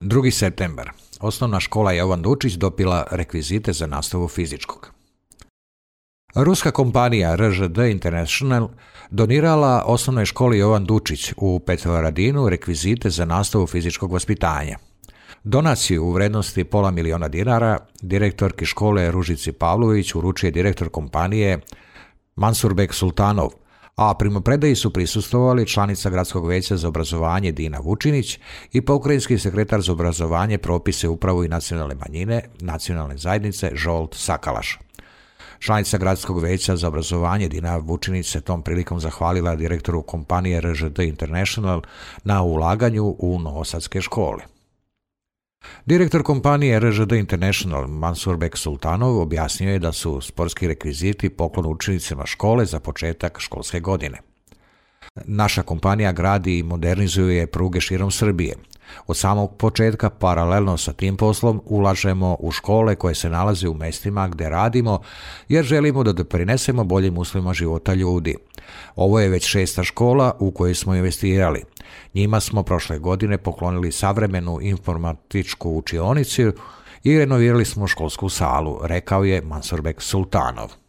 2. septembar. Osnovna škola Jovan Dučić dobila rekvizite za nastavu fizičkog. Ruska kompanija RŽD International donirala osnovnoj školi Jovan Dučić u Petrovaradinu rekvizite za nastavu fizičkog vaspitanja. Donaciju u vrednosti $500.000 direktorki škole Ružici Pavlović uručuje direktor kompanije Mansurbek Sultanov, a primopredaji su prisustvovali članica Gradskog veća za obrazovanje Dina Vučinić i pokrajinski sekretar za obrazovanje, propise, upravu i nacionalne manjine nacionalne zajednice Žolt Sakalaš. Članica Gradskog veća za obrazovanje Dina Vučinić se tom prilikom zahvalila direktoru kompanije RŽD International na ulaganju u novosadske škole. Direktor kompanije RŽD International Mansurbek Sultanov objasnio je da su sportski rekviziti poklon učenicima škole za početak školske godine. Naša kompanija gradi i modernizuje pruge širom Srbije. Od samog početka, paralelno sa tim poslom, ulažemo u škole koje se nalaze u mestima gde radimo, jer želimo da doprinesemo boljim uslovima života ljudi. Ovo je već 6. škola u kojoj smo investirali. Njima smo prošle godine poklonili savremenu informatičku učionicu i renovirali smo školsku salu, rekao je Mansurbek Sultanov.